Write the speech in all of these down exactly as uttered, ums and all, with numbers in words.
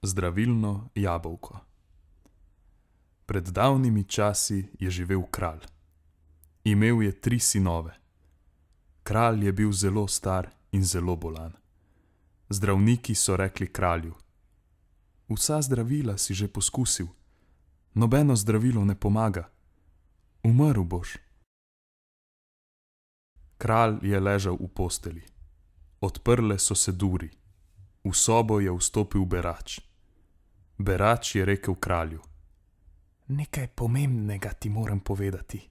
Zdravilno jabolko. Pred davnimi časi je živel kralj. Imel je tri sinove. Kralj je bil zelo star in zelo bolan. Zdravniki so rekli kralju: "Vsa zdravila si že poskusil, nobeno zdravilo ne pomaga. Umrl boš." Kralj je ležal v postelji. Odprle so se duri. V sobo je vstopil berač. Berač je rekel kralju: "Nekaj pomembnega ti moram povedati.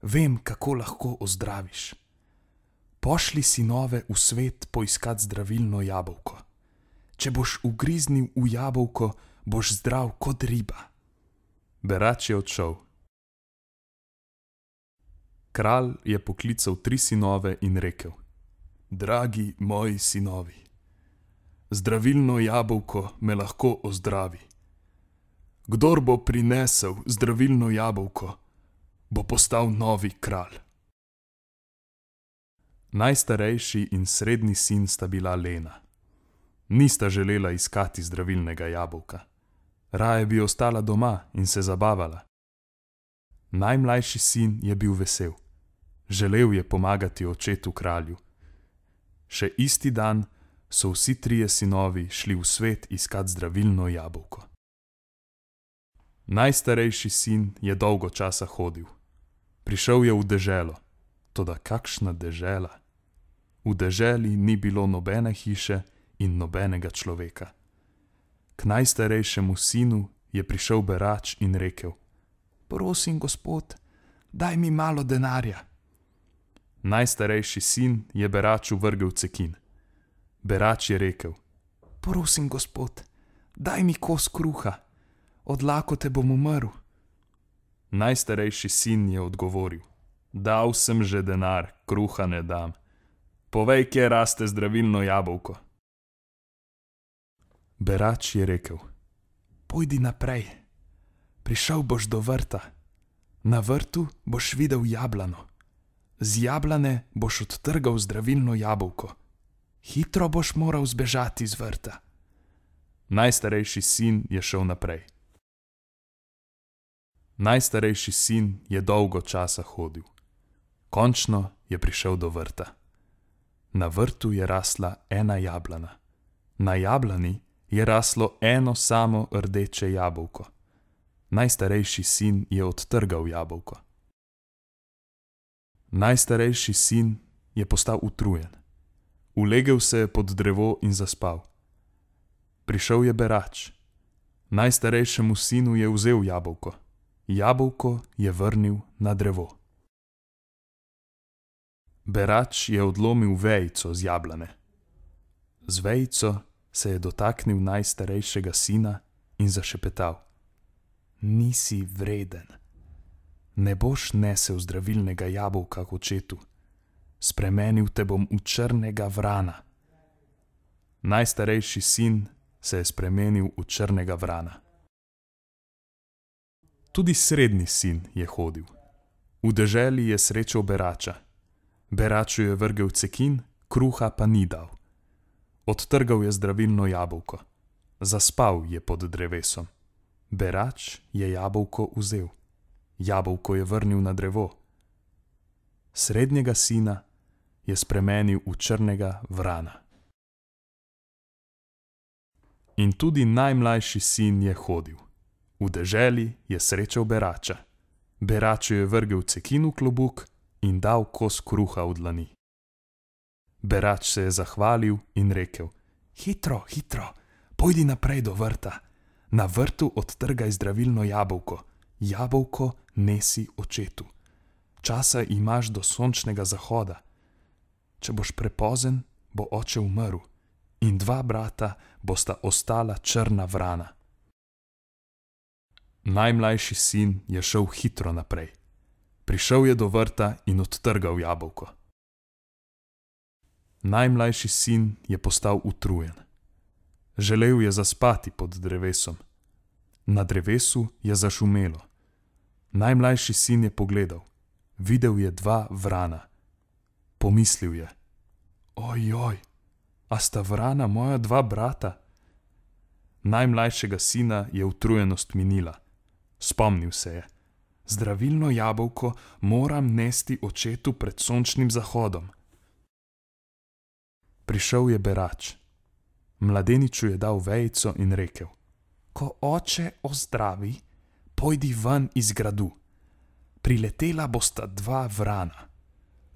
Vem, kako lahko ozdraviš. Pošlji sinove v svet poiskat zdravilno jabolko. Če boš ugriznil v jabolko, boš zdrav kot riba." Berač je odšel. Kralj je poklical tri sinove in rekel: "Dragi moji sinovi, zdravilno jabolko me lahko ozdravi. Kdor bo prinesel zdravilno jabolko, bo postal novi kralj." Najstarejši in srednji sin sta bila lena. Nista želela iskati zdravilnega jabolka. Raje bi ostala doma in se zabavala. Najmlajši sin je bil vesel. Želel je pomagati očetu kralju. Še isti dan so vsi trije sinovi šli v svet iskat zdravilno jabolko. Najstarejši sin je dolgo časa hodil. Prišel je v deželo. Toda kakšna dežela! V deželi ni bilo nobene hiše in nobenega človeka. K najstarejšemu sinu je prišel berač in rekel: "Prosim, gospod, daj mi malo denarja." Najstarejši sin je beraču vrgel cekin. Berač je rekel: "Prosim, gospod, daj mi kos kruha, od lakote bom umrl." Najstarejši sin je odgovoril: "Dal sem že denar, kruha ne dam. Povej, kje raste zdravilno jabolko." Berač je rekel: "Pojdi naprej. Prišel boš do vrta. Na vrtu boš videl jablano. Z jablane boš odtrgal zdravilno jabolko. Hitro boš moral zbežati z vrta." Najstarejši sin je šel naprej. Najstarejši sin je dolgo časa hodil. Končno je prišel do vrta. Na vrtu je rasla ena jablana. Na jablani je raslo eno samo rdeče jabolko. Najstarejši sin je odtrgal jabolko. Najstarejši sin je postal utrujen. Ulegel se je pod drevo in zaspal. Prišel je berač. Najstarejšemu sinu je vzel jabolko. Jabolko je vrnil na drevo. Berač je odlomil vejico z jablane. Z vejico se je dotaknil najstarejšega sina in zašepetal: "Nisi vreden. Ne boš nesel zdravilnega jabolka k očetu. Spremenil te bom v črnega vrana." Najstarejši sin se je spremenil v črnega vrana. Tudi srednji sin je hodil. V deželi je srečal berača. Beraču je vrgel cekin, kruha pa ni dal. Odtrgal je zdravilno jabolko. Zaspal je pod drevesom. Berač je jabolko vzel. Jabolko je vrnil na drevo. Srednjega sina je spremenil v črnega vrana. In tudi najmlajši sin je hodil. V deželi je srečal berača. Beraču je vrgel cekin v klobuk in dal kos kruha v dlani. Berač se je zahvalil in rekel: "Hitro, hitro, pojdi naprej do vrta. Na vrtu odtrgaj zdravilno jabolko. Jabolko nesi očetu. Časa imaš do sončnega zahoda. Če boš prepozen, bo oče umrl in dva brata bosta ostala črna vrana." Najmlajši sin je šel hitro naprej. Prišel je do vrta in odtrgal jabolko. Najmlajši sin je postal utrujen. Želel je zaspati pod drevesom. Na drevesu je zašumelo. Najmlajši sin je pogledal. Videl je dva vrana. Pomislil je: "Ojoj, a sta vrana moja dva brata?" Najmlajšega sina je utrujenost minila. Spomnil se je. Zdravilno jabolko moram nesti očetu pred sončnim zahodom. Prišel je berač. Mladeniču je dal vejico in rekel: Ko oče ozdravi, pojdi ven iz gradu. Priletela bosta dva vrana.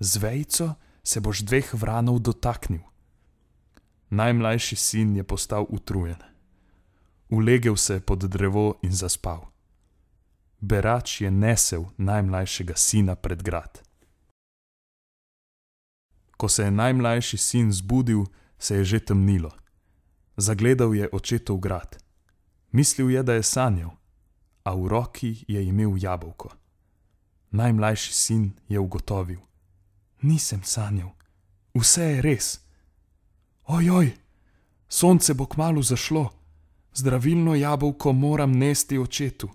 Z vejico se boš dveh vranov dotaknil. Najmlajši sin je postal utrujen. Ulegel se je pod drevo in zaspal. Berač je nesel najmlajšega sina pred grad. Ko se je najmlajši sin zbudil, se je že temnilo. Zagledal je očetov grad. Mislil je, da je sanjal, a v roki je imel jabolko. Najmlajši sin je ugotovil: Nisem sanjal, vse je res. Ojoj, sonce bo kmalu zašlo, zdravilno jabolko moram nesti očetu.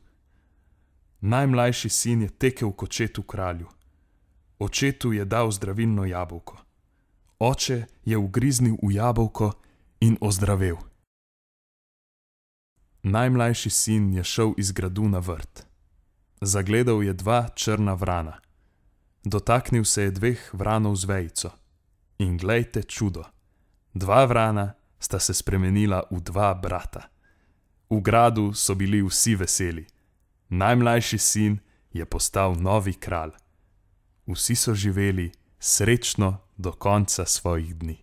Najmlajši sin je tekel k očetu kralju. Očetu je dal zdravilno jabolko. Oče je ugriznil v jabolko in ozdravel. Najmlajši sin je šel iz gradu na vrt. Zagledal je dva črna vrana. Dotaknil se je dveh vranov z vejico. In glejte čudo, dva vrana sta se spremenila v dva brata. V gradu so bili vsi veseli. Najmlajši sin je postal novi kralj. Vsi so živeli srečno do konca svojih dni.